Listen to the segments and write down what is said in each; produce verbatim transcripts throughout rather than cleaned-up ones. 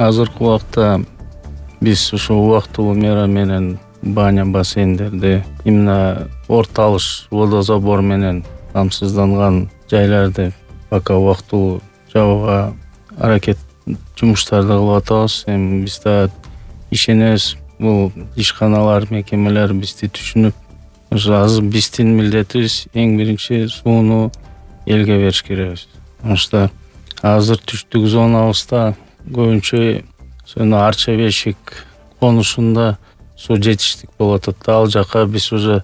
Азыркы убакта биз ушул убактылуу мера менен баня бассейндерди, именно орто алыш водозабор менен камсызданган жайларды пока убактылуу жабууга аракет жумуштарды кылып атабыз. Эми биз да ишенебиз, бул ишканалар, мекемелер бизди түшүнүп, ошо азыр биздин милдетибиз эң биринчи сууну элге бериш керекбиз. Ошто азыр түштүк зонабызда көбүнчө сөнө Арча бешик конушунда суу жетиштик болуп атат да, ал жака биз уже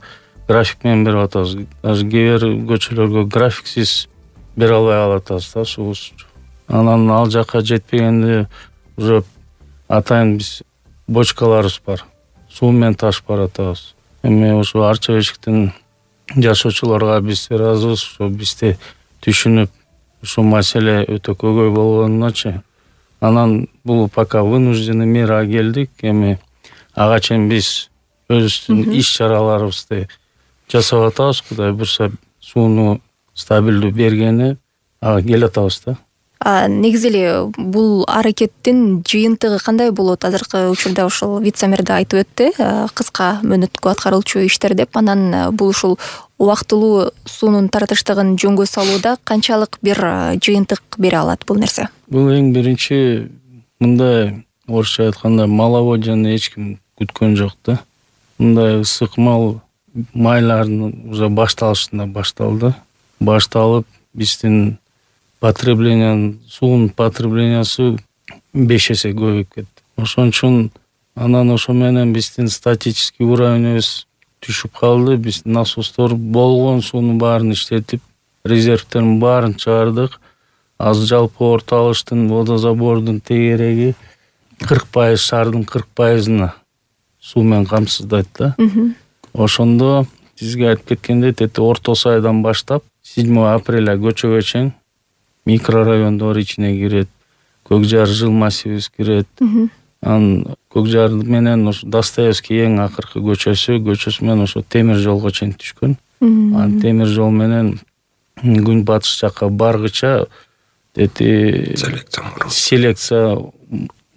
график менен берип атабыз. Даже кээ бир көчөлөргө графиксиз бере албай калып атабыз да суубузду. Анан ал жака жетпегенде уже атайын биз бочкаларыбыз бар, суу менен ташып баратабыз. Эми ошо Арча бешиктин жашоочуларга биз ыраазыбыз, ошо бизди түшүнүп, ушул маселе өтө көйгөй болгонуначы. Анан бул пока вынужденный мерага келдик. Эми ага чейин биз өзүбүздүн иш чараларыбызды жасап атабыз. Кудай буюрса сууну стабилдүү бергени ага келатабыз да. А негизи эле бул аракеттин жыйынтыгы кандай болот? Азыркы учурда ушул вице-мэр да айтып өттү, кыска мөөнөткө аткарылчу иштер деп. Анан бул ушул убактылуу суунун таратыштыгын жөнгө салууда канчалык бир жыйынтык бере алат бул нерсе? Бул эң биринчи мындай орусча айтканда маловодьяны эч ким күткөн жок да. Мындай ысык мал майлардын уже башталышында башталды. Башталып биздин потребление, суунун потреблениясы беш эсе көбөйүп кетти. Ошон үчүн анан ошо менен биздин статический уровенибиз түшүп калды. Биз насостор болгон суунун баарын иштетип, резервтердин баарын чыгардык. Азыр жалпы орто алыштын водозабордун тегереги кырк пайыз, шаардын кырк пайызына суу менен камсыздайт да. Ошондо сизге айтып кеткендей, тети Орто Сайдан баштап седьмого апреля көчөгө чейин микрорайондор ичине кирет, Көкжар жыл массивибиз кирет. Анан Көкжар менен ошо Достоевский эң акыркы көчөсү, көчөсү менен ошо темир жолго чейин түшкөн. Анан темир жол менен күн батыш жакка баргыча тети селекция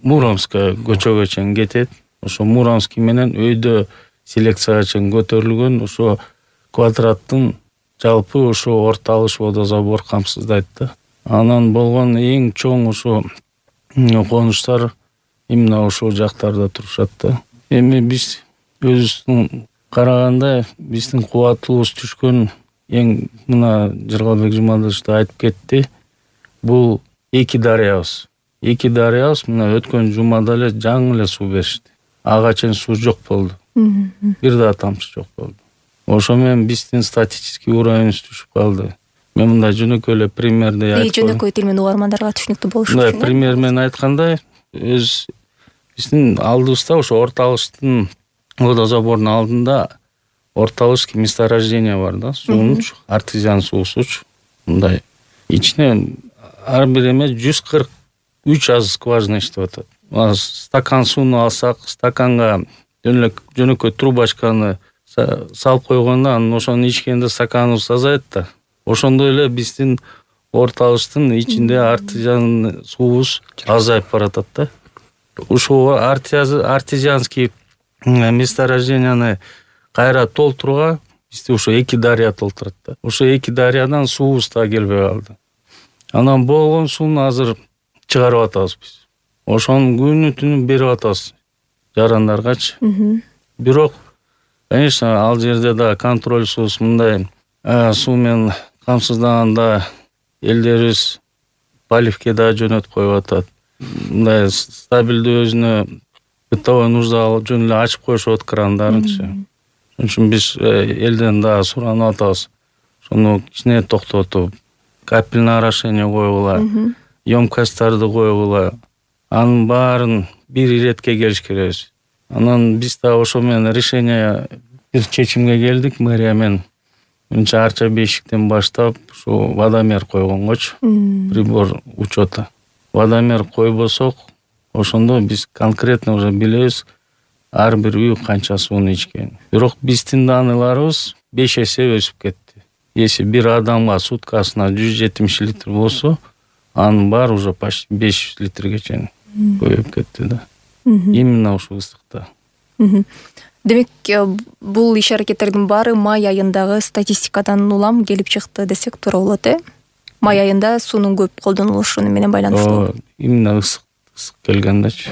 Муромская көчөгө чейин кетет. Ошо Муромский менен өйдө селекцияга чейин көтөрүлгөн ошо квадраттын жалпы ошо орто алыш водозабор камсыздайт да. Анан болгон эң чоң ошо конуштар именно ошол жактарда турушат да. Эми биз өзүбүздүн караганда биздин кубаттуулугубуз түшкөн эң мына Жыргалбек Жумадылович да айтып кетти. Бул эки дарыябыз. Эки дарыябыз мына өткөн жумада эле жаңы эле суу беришти. Ага чейин суу жок болду. Бир да тамчы жок болду. Ошо менен биздин статический уровенибиз түшүп калды. Мен мындай жөнөкөй эле примерди айтып коеюн. Жөнөкөй тил менен угармандарга түшүнүктүү болуш үчүн. Мындай пример менен айтканда, өз биздин алдыбызда ошо орто алыштын водозабордун алдында орто алышский месторождение бар да, суунун артезиан суусучу. Мындай ичине ар бир эме жүз кырк үч аз скважина иштеп атат. Стакан сууну алсак, стаканга жөнөкөй трубочканы салып койгондо анан ошону ичкенде стаканыбыз азайат да. Ошондой эле биздин орто алыштын ичинде артезиан суубуз азайып баратат да. Ушул артезианский месторожденияны кайра толтурууга бизде ошо эки дарыя толтурат да. Ошо эки дарыядан суубуз да келбей калды. Анан болгон сууну азыр чыгарып атабыз биз. Ошону күнү түнү берип атабыз жарандаргачы. Бирок, конечно, ал жерде да контрольсуз мындай суу менен камсыздаганда элдерибиз поливке да жөнөтүп коюп атат. Мындай стабилдүү өзүнө бытовой нужда жөн эле ачып коюшат крандарынчы. Ошон үчүн биз элден да суранып атабыз. Ошону кичине токтотуп, капельное орошение койгула, емкостторду койгула. Анын баарын бир иретке келиш керекбиз. Анан биз да ошо менен решение бир чечимге келдик мэрия менен. Мынча Арча бешиктен баштап ушу водомер койгонгочу, прибор учета. Водомер койбосок, ошондо биз конкретно уже билебиз ар бир үй канча сууну ичкенин. Бирок биздин даныларыбыз беш эсе өсүп кетти. Если бир адамга суткасына жүз жетимиш литр болсо, анын баары уже почти беш жүз литрге чейин көбөйүп кетти да. Именно ушул ысыкта. Демек, бул иш аракеттердин баары май айындагы статистикадан улам келип чыкты десек туура болот, э? Май айында суунун көп колдонулушу менен байланыштуу. Именно ысык ысык келгендечи.